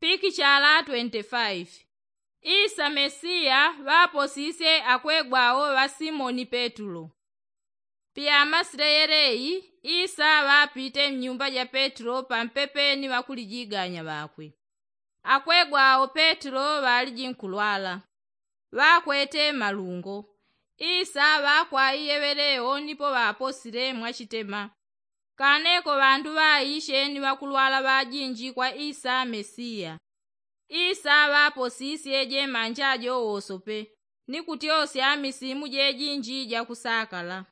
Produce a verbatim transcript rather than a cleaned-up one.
Pikichala twenty-five. Isa mesiya ŵaposisye akwegwa awo ŵa simoni petulo. Piyamasile yeleyi, isa ŵapite mnyumba ja petulo pampepe ni ŵakulijiganya ŵakwe. Akwegwa awo petulo ŵaliji nkulwala, ŵakwete malungo. Isa ŵakwa iyeŵelewo nipo ŵaposile mwachitema. Kaneko ŵandu ŵaishe ni ŵakulwala ŵajinji kwa isa mesiya. Isa ŵaposisye jemanja jo wosope, ni kutyosya misimu jejinji jakusakala.